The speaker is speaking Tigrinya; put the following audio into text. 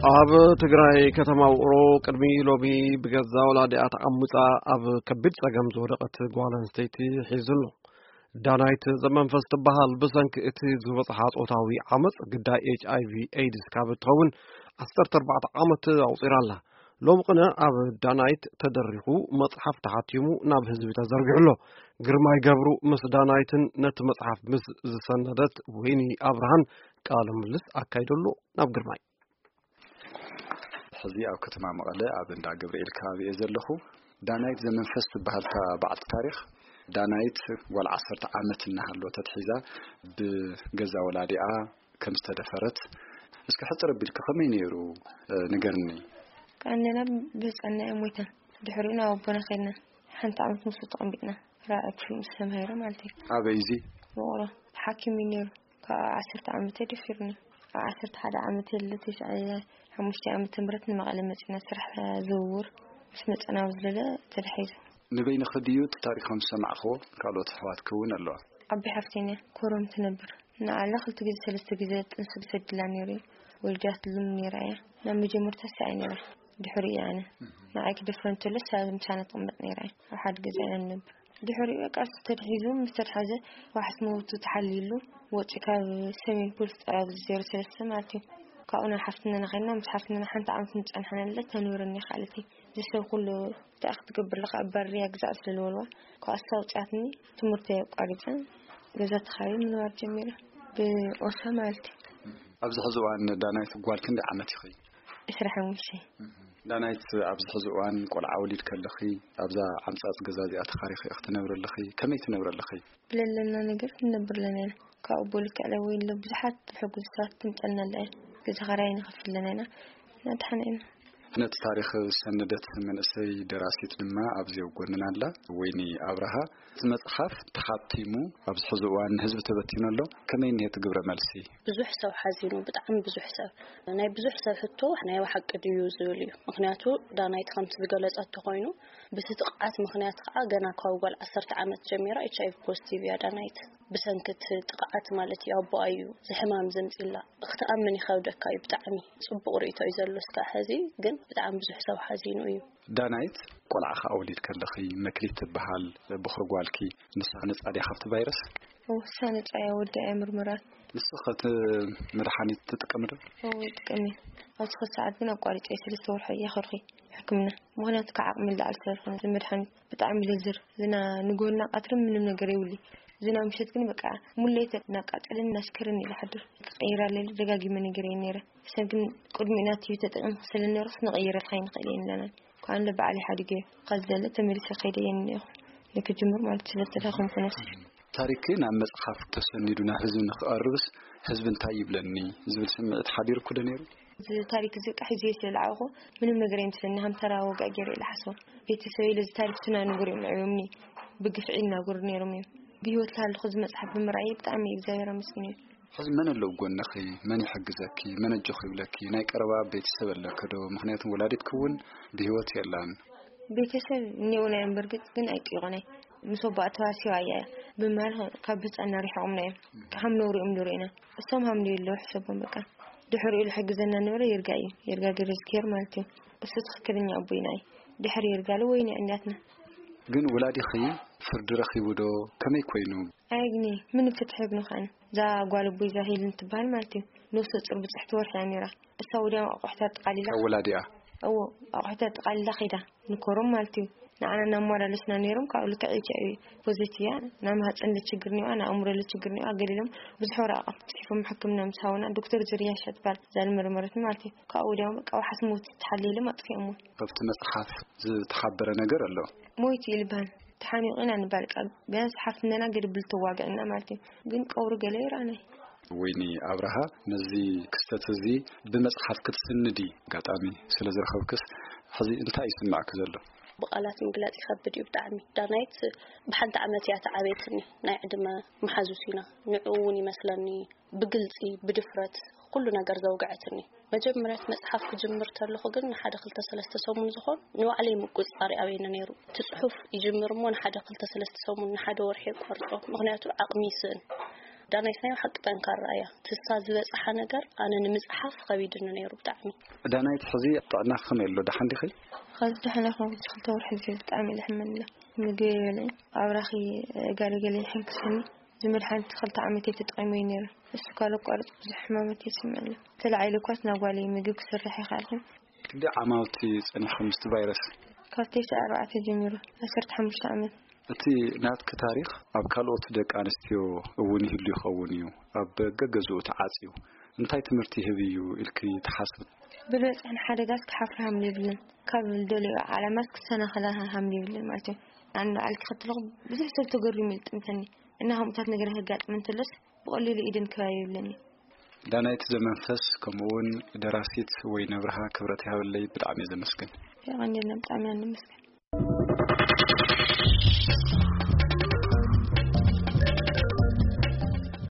ኣብ ትግራይ ከተማ ውቕሮ ቅድሚ ሎሚ ብገዛ ወላዲኣ ተዓሙጻ ኣብ ከቢድ ጸገም ዝወደቐት ጓል ኣንስተይቲ ሒዙ ኣሎ። ዳናይት ዘመንፈስ ትበሃል ብሰንኪ እቲ ዝበጽሓ ጾታዊ ዓመጽ ግዳይ ኤች ኣይ ቪ ኤድስ ካብ እትኸውን ዓሰርተ ኣርባዕተ ዓመት ኣቑጺራ ኣላ። ሎሚ ቅነ ኣብ ዳናይት ተደሪኹ መጽሓፍ ተሓቲሙ ናብ ህዝቢ ተዘርጊሑ ኣሎ። ግርማይ ገብሩ ምስ ዳናይትን ነቲ መጽሓፍ ምስ ዝሰነደት ወይኒ ኣብርሃን ቃለ ምልልስ ኣካይደሉ። ናብ ግርማይ። ሕዚ ኣብ ከተማ መቐለ ኣብ እንዳ ገብርኤል ከባቢ እየ ዘለኹ። ዳናይት ዘመንፈስ ትበሃል እታ በዓልቲ ታሪኽ። ዳናይት ጓል ዓሰርተ ዓመት እናሃለወ ተትሒዛ ብገዛ ወላዲኣ ከም ዝተደፈረት፣ እስኪ ሕጽር ኣቢልኪ ከመይ ነይሩ፣ እ፣ ንገርኒ። ከኣነና ብህጻንና እያ ሞይታ። ድሕሪኡ ናብ ኣቦና ከድና። ሓንቲ ዓመት ምስኡ ተቐሚጥና። ራብዓይ ክፍሊ ምስ ተማሂረ ማለት እዩ። ኣበይ እዚ? ውቕሮ። ሓኪም እዩ ነይሩ። ካብ ዓሰርተ ዓመት ደፊሩኒ። ኣብ ዓሰርተ ሓደ ዓመት የለ፣ ተስዓ፣ ሓሙሽተ ዓመተ ምህረት ንመቐለ መጺና ስራሕ ዝውውር ምስ መጸና ኣብ ዝለለ ተታሒዙ። ንበይንኺ ድዩ እቲ ታሪኽ ከም ዝሰማዕኽዎ? ካልኦት ኣሕዋትኪ እውን ኣለዋ? ዓቢ ሓፍተይ እያ፣ ኮረም ትነብር። ንዓላ ክልተ ግዜ ሰለስተ ግዜ ጥንሲ ክሰድላ ነይሩ እዩ። ወሊዳትሉ ነይራ እያ። ናብ መጀመርታ እሳ እያ ነይራ። ድሕሪኡ እየ ኣነ። ንዓይ ክደፍረ እንተሎ እሳ ምሳና ትቕመጥ ነይራ እያ። ኣብ ሓደ ገዛ ኢና ንነብር። ድሕሪኡ በቃ እሱ ተታሒዙ፣ ምስ ተታሓዘ ዋሕስ መውቱ ተሓሊሉ ወፂኡ ካብ ሰሜን ፖሊስ ጣብያ ዜሮ ሰለስተ ማለት እዩ። ካብኡ ናብ ሓፍትናና ከይድና፣ ምስ ሓፍትናና ሓንቲ ዓመት ንፀንሓ ነለ ተንብረኒ ይኽኣለት እዩ። እዚ ሰብ ኩሉ እንታይ ክትገብር ኣለኻ? ኣብ ባርያ ግዛዕ ስለ ዝበልዋ፣ ካብ እሳ ኣውፅኣትኒ ትምህርቲ ኣቋሪፀ ገዛ ተኻሪበ ምንባር ጀሚረ። ብኦሳ ማለት እዩ። ኣብዚ ሕዚ እዋን ዳናይት ጓል ክንደይ ዓመት ኢኺ? ዕስራ ሓሙሽተ። ዳናይት፣ ኣብዚ ሕዚ እዋን ቆልዓ ወሊድ ከለኺ፣ ኣብዛ ዓምጻጽ ገዛ እዚኣ ተኻሪኺ ክትነብሪ ኣለኺ? ከመይ ትነብሪ ኣለኺ? ብለለና ነገር ክንነብር ኣለና ኢና። ካብኡ ብልክዕ ለወይለ ብዙሓት ሕጉሳት ትምጸልና ኣላ እያ። ገዛ ኸራይ ንኸፍል ኣለና ኢና። ናድሓና ኢና። ነቲ ታሪኽ ዝሰነደት መንእሰይ ደራሲት ድማ ኣብዚ ኣብ ጎንና ኣላ፣ ወይኒ ኣብርሃ። እቲ መጽሓፍ ተሓቲሙ ኣብዚ ሕዚ እዋን ንህዝቢ ተበቲኑ ኣሎ። ከመይ እኒሀ እቲ ግብረ መልሲ? ብዙሕ ሰብ ሓዚኑ፣ ብጣዕሚ ብዙሕ ሰብ። ናይ ብዙሕ ሰብ ሕቶ ናይ ብሓቂ ድዩ ዝብል እዩ። ምኽንያቱ ዳናይት ከምቲ ዝገለጸቶ ኮይኑ፣ ብቲ ጥቕዓት ምኽንያት ከዓ ገና ካብ ጓል ዓሰርተ ዓመት ጀሚራ ኤች ኣይ ቪ ፖዚቲቭ እያ ዳናይት። ብሰንኪ እቲ ጥቕዓት ማለት እዩ፣ ኣቦኣ እዩ እዚ ሕማም ዘምፅላ። ክትኣምን ይኸብደካ እዩ ብጣዕሚ። ፅቡቕ ርእይቶ እዩ ዘሎ እስካዕ ሕዚ፣ ግን ብጣዕሚ ብዙሕ ሰብ ሓዚኑ እዩ። ዳናይት፣ ቆልዓ ከኣ ወሊድ ከለኺ፣ መክሊት ትበሃል ብኹሪ ጓልኪ፣ ንሳ ነጻ ድያ ካብቲ ቫይረስ? እወ፣ ንሳ ነጻ እያ፣ ወዳ እያ ምርመራት። ንስኺ እቲ መድሓኒት ትጥቀሚ ዶ? እወ፣ ይጥቀም እየ። ኣብዚ ኸዚ ሰዓት ግን ኣቋሪጸ እየ፣ ሰለስተ ወርሒ እየ ከርኺ ሕክምና። ምኽንያቱ ካብ ዓቕሚ ንላዕሊ ስለ ዝኾነ፣ እዚ መድሓኒት ብጣዕሚ ለዝር። ዝና ንጎና ቀትሪ ምንም ነገር የብሉይ። ዝና ምሸት ግን በቃ ሙሌት እናቃጸለን እናስከረን እየ ዝሓድር። ክቐይር ኣለለ ደጋጊመ ነገር እየ ነይረ። ሰብ ግን ቅድሚኡ ናት እዩ ተጠቒምኩ ስለ ነርኩስ ንቐይረልካ ኣይንኽእል እየ ንለና። ኳን ለበዓል ሓዲገ ከዘለ ተመሊሰ ከይደ እየ እኒአኹ። ንክጅምር ማለት ስለ ዝተዳኸምኩ ነብሲ። ታሪክ ናብ መጽሓፍ ተሰኒዱ ናብ ህዝቢ ንክቐርብስ ህዝቢ እንታይ ይብለኒ ዝብል ስምዒት ሓዲርኩ ዶ ነይሩ? እዚ ታሪክ እዚ ቃሕ ሒዘ ስለ ዝዓበኹ ምንም ነገር ኣይመስለኒ። ሃምተራ ወግዒ ገይረ ኢለ ሓስቦ። ቤተሰበይ ለዚ ታሪክ ስና ንጉር እዮም ኣዕብዮምኒ። ብግፍዒ እናጎሩ ነይሮም እዮም። ብህይወት ላሃለኹ እዚ መጽሓፍ ብምርኣየ ብጣዕሚ እግዚኣብሔር ኣመስግን እዩ። ሕዚ መን ኣሎ ኣብ ጎንኺ? መን ይሕግዘኪ? መን ኣጆኺ ይብለኪ? ናይ ቀረባ ቤተሰብ ኣለኪ ዶ? ምኽንያቱ ወላዲትኪ እውን ብህይወት የላን። ቤተሰብ እኒኦና እዮም፣ በርግጽ ግን ኣይጥይቑናይ። ምስ ኣቦኣ ተዋሲባ እያ። ብማል ካብ ህፃና ሪሕቑምና እዮም። ሃም ነውሪ እዮም ንሪእና። እሶም ሃም ንየለዉ ሕሰቦም በቃ። ድሕሪኡ ዝሕግዘና ነበረ ይርጋ እዩ። ይርጋ ገረዝግሄር ማለት እዩ። እሱ ትኽክለኛ ኣቦይና እዩ። ድሕሪ ይርጋ ለ ወይኒ እኛትና። ግን ወላዲኺ ፍርዲ ረኺቡ ዶ? ከመይ ኮይኑ? ኣየግኒ፣ ምንም ፍትሒ የግኒ ኸኣነ። እዛ ጓል ኣቦይ እዛ ሄልን ትበሃል ማለት እዩ። ነፍሰ ጡር ብጽሕቲ ወርሒ እያ ነይራ። እሳ ወዲያው ኣቑሑታ ጠቓሊላ ካብ ወላዲኣ? እዎ፣ ኣቑሑታ ጠቓሊላ ኸይዳ። ንኮሮም ማለት እዩ። ንዓና እናመላለስና ነይሮም፣ ካብኡ ልክዕ ኤች ኣይ ቪ ፖዘቲቭ እያ። ናይ ማህፀን ለችግር እኒዋ፣ ናይ ኣእምሮ ለችግር እኒዋ፣ ገሊሎም ብዙሕ ወረቓቕቲ ጽሒፎም ሕክምና ምስ ሃቡና፣ ዶክተር ዝርያ ሸጥባል እዛ ዝመርመረትኒ ማለት እዩ። ካብኡ ወዲያው በቃ ዋሕስ ሞት ተሓልየሎም ኣጥፊኦምዎ። ኣብቲ መጽሓፍ ዝተሓበረ ነገር ኣሎ። ሞይቱ እዩ ልበሃል። ተሓኒቑ ኢና ንባል ቃል ቢያንስ ሓፍትነና ገድብል ተዋግዕና ማለት እዩ። ግን ቀብሩ ገለ ይረኣናይ። ወይኒ ኣብርሃ፣ ነዚ ክስተት እዚ ብመጽሓፍ ክትስንዲ ኣጋጣሚ ስለ ዝረኸብክስ፣ ሕዚ እንታይ ይስምዓኪ ዘሎ? ብቓላት ምግላጽ ይኸብድ እዩ ብጣዕሚ። ዳናይት ብሓንቲ ዓመት እያ ተዓበየትኒ። ናይ ዕድመ መሓዙት ኢና። ንዕኡ እውን ይመስለኒ ብግልጺ፣ ብድፍረት ኩሉ ነገር ዘውግዐትኒ። መጀመርያ እቲ መጽሓፍ ክጅምር ተለኹ ግን ንሓደ ክልተ ሰለስተ ሰሙን ዝኾን ንባዕለይ ምቁጽጻር ይኣብየኒ ነይሩ። እቲ ጽሑፍ ይጅምር እሞ ንሓደ ክልተ ሰለስተ ሰሙን፣ ንሓደ ወርሒ የቋርጾ። ምኽንያቱ ዓቕሚ ይስእን። ዳናይት ናይ ሓቂ ጠንካራ እያ። ትሳ ዝበጽሓ ነገር ኣነ ንምጽሓፍ ከቢድኒ ነይሩ ብጣዕሚ። ዳናይት፣ ሕዚ ጥዕና ከመይ ኣሎ? ደሓን ዲኺ? ኸዚ ደሓን ኣይኮንኩ፣ ክልተ ወርሒ እዚ ብጣዕሚ እየ ዝሕመኒ። ምግቢ የበልዕን ኣብራኺ ገለ ገለ ይሕንክሰኒ። እዚ መድሓኒት ክልተ ዓመት እየ ተጠቒመዮ ነይረ። እሱ ካብ ዘቋርጽ ብዙሕ ሕማመት እየ ዝስምዐኒ። ተላዒሉ እኳስ ናብ ጓለይ ምግቢ ክስርሕ ኣይከኣልኩን። ክንደይ ዓማውቲ ጸኒሕኩም ምስቲ ቫይረስ? ካብ ተስዓ ኣርባዕተ ጀሚሩ፣ ዓሰርተ ሓሙሽተ ዓመት። እቲ ናትኪ ታሪኽ ኣብ ካልኦት ደቂ ኣንስትዮ እውን ይህሉ ይኸውን እዩ። ኣብ ገገዝኡ ተዓጽዩ እንታይ ትምህርቲ ይህብ እዩ ኢልኪ ትሓስብ? ብልበጽሕን ሓደጋስ ክሓፍር ሃምሊ ይብልን፣ ካብ ዝደልዮ ዓላማስ ክሰናኸላ ሃምሊ ይብልን ማለት እዩ። ኣነ ንባዕል ክኸትለኹ ብዙሕ ሰብ ተገሪሙ ይጥምተኒ። እና ከምኡታት ነገር ከጋጥም እንተሎስ ብቐሊሉ ኢድን ከባቢ ይብለኒ። ዳናይት ዘመንፈስ፣ ከምኡውን ደራሲት ወይነ ብርሃ ክብረት ይሃበለይ፣ ብጣዕሚ እየ ዘመስግን። የቐንየልና፣ ብጣዕሚ ኢና ነመስግን።